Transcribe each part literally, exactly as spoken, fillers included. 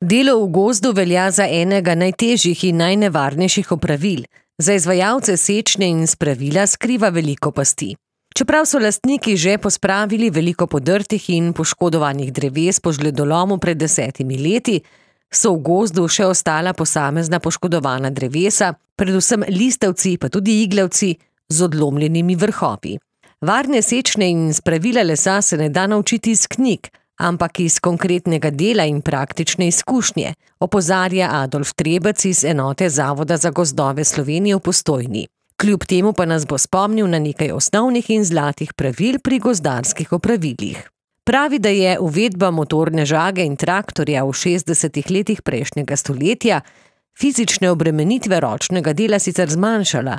Delo v gozdu velja za enega najtežjih in najnevarnejših opravil. Za izvajalce sečnje in spravila skriva veliko pasti. Čeprav so lastniki že pospravili veliko podrtih in poškodovanih dreves po žledolomu pred desetimi leti, so v gozdu še ostala posamezna poškodovana drevesa, predvsem listavci pa tudi iglavci z odlomljenimi vrhovi. Varne sečnje in spravila lesa se ne da naučiti iz knjig, ampak iz konkretnega dela in praktične izkušnje, opozarja Adolf Trebec iz enote Zavoda za gozdove Slovenije v Postojni. Kljub temu pa nas bo spomnil na nekaj osnovnih in zlatih pravil pri gozdarskih opravilih. Pravi, da je uvedba motorne žage in traktorja v šestdesetih letih prejšnjega stoletja fizične obremenitve ročnega dela sicer zmanjšala,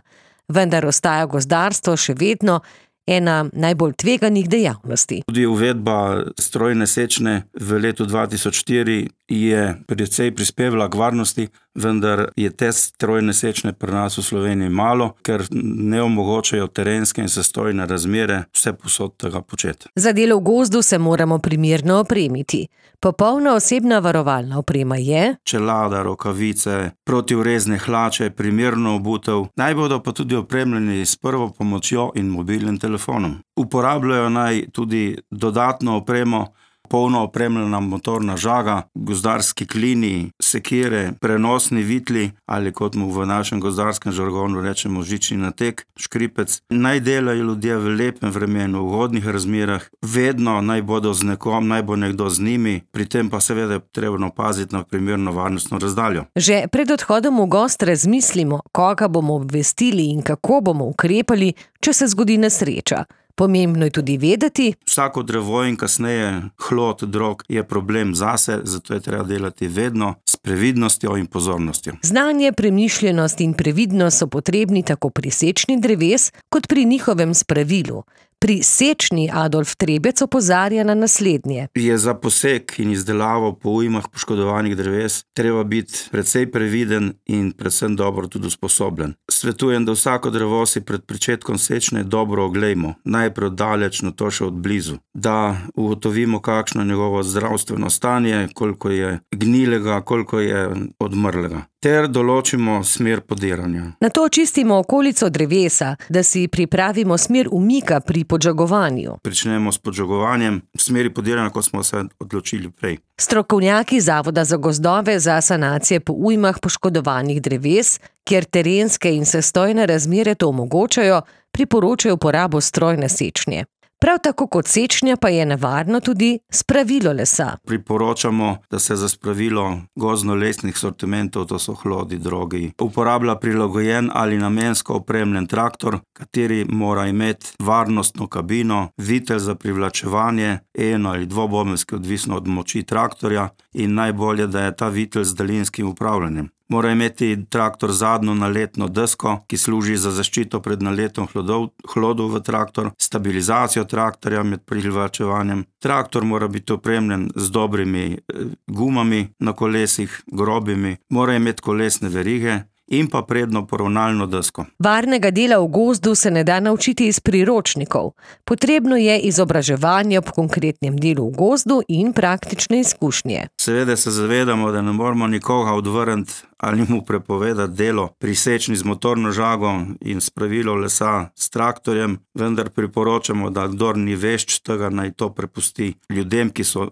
vendar ostaja gozdarstvo še vedno ena najbolj tveganih dejavnosti. Tudi uvedba strojne sečnje v letu dva tisoč štiri je precej prispevala k varnosti, vendar je te strojne sečnje pri nas v Sloveniji malo, ker ne omogočajo terenske in sestojne razmere vse posod tega početi. Za delo v gozdu se moramo primerno opremiti. Popolna osebna varovalna oprema je čelada, rokavice, protivrezne hlače, primerno obutev, naj bodo pa tudi opremljeni s prvo pomočjo in mobilnim telefonom. Uporabljajo naj tudi dodatno opremo, polno opremljena motorna žaga, gozdarski klini, sekire, prenosni vitli ali kot mu v našem gozdarskem žargonu rečemo žični natek, škripec. Naj delajo ljudje v lepem vremenu, v ugodnih razmerah, vedno naj bodo z nekom, naj bo nekdo z njimi, pri tem pa seveda trebno paziti na primerno varnostno razdaljo. Že pred odhodom v gost razmislimo, koga bomo obvestili in kako bomo ukrepali, če se zgodi nesreča. Pomembno je tudi vedeti, vsako drevo in kasneje hlod, drog je problem zase, zato je treba delati vedno s previdnostjo in pozornostjo. Znanje, premišljenost in previdnost so potrebni tako pri sečnji dreves, kot pri njihovem spravilu. Pri sečnji Adolf Trebec opozarja na naslednje. Je za posek in izdelavo po ujmah poškodovanih dreves treba biti precej previden in predvsem dobro tudi usposobljen. Svetujem, da vsako drevo si pred pričetkom sečnje dobro oglejmo, najprej daleč, no to še od blizu, da ugotovimo, kakšno je njegovo zdravstveno stanje, koliko je gnilega, koliko je odmrlega, ter določimo smer podiranja. Nato očistimo okolico drevesa, da si pripravimo smer umika pri podžagovanju. Pričnemo s podžagovanjem v smeri podiranja, kot smo se odločili prej. Strokovnjaki Zavoda za gozdove za sanacije po ujmah poškodovanih dreves, kjer terenske in sestojne razmere to omogočajo, priporočajo uporabo strojne sečnje. Prav tako kot sečnja pa je nevarno tudi spravilo lesa. Priporočamo, da se za spravilo gozdno-lesnih sortimentov, to so hlodi, drogi, uporablja prilagojen ali namensko opremljen traktor, kateri mora imeti varnostno kabino, vitel za privlačevanje, eno ali dvobobenjski, odvisno od moči traktorja, in najbolje, da je ta vitel z daljinskim upravljanjem. Mora imeti traktor zadnjo naletno desko, ki služi za zaščito pred naletom hlodov, hlodov v traktor, stabilizacijo traktorja med privlačevanjem. Traktor mora biti opremljen z dobrimi eh, gumami na kolesih, grobimi, mora imeti kolesne verige in pa prednjo poravnalno desko. Varnega dela v gozdu se ne da naučiti iz priročnikov. Potrebno je izobraževanje ob konkretnem delu v gozdu in praktične izkušnje. Seveda se zavedamo, da ne moramo nikoga odvrniti ali mu prepovedati delo pri sečnji z motorno žago in spravilo lesa s traktorjem, vendar priporočamo, da kdor ni vešč tega, naj to prepusti ljudem, ki so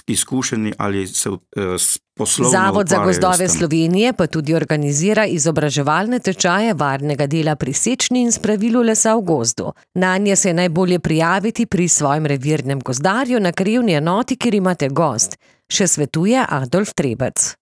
izkušeni ali se eh, poslovno Zavod za gozdove s tem. Slovenije pa tudi organizira izobraževalne tečaje varnega dela pri sečnji in spravilu lesa v gozdu. Nanje se je najbolje prijaviti pri svojem revirnem gozdarju na krajevni enoti, kjer imate gozd, še svetuje Adolf Trebec.